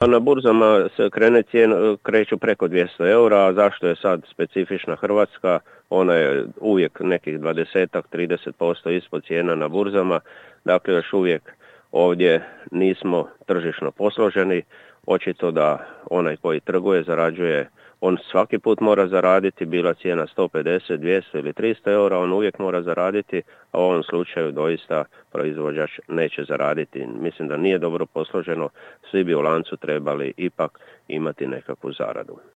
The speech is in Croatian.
A na burzama se kreću preko 200 eura, a zašto je sad specifična Hrvatska? Ona je uvijek nekih 20-30% ispod cijena na burzama, dakle još uvijek ovdje nismo tržišno posloženi. Očito da onaj koji trguje, zarađuje, on svaki put mora zaraditi, bila cijena 150, 200 ili 300 eura, on uvijek mora zaraditi, a u ovom slučaju doista proizvođač neće zaraditi. Mislim da nije dobro posloženo, svi bi u lancu trebali ipak imati nekakvu zaradu.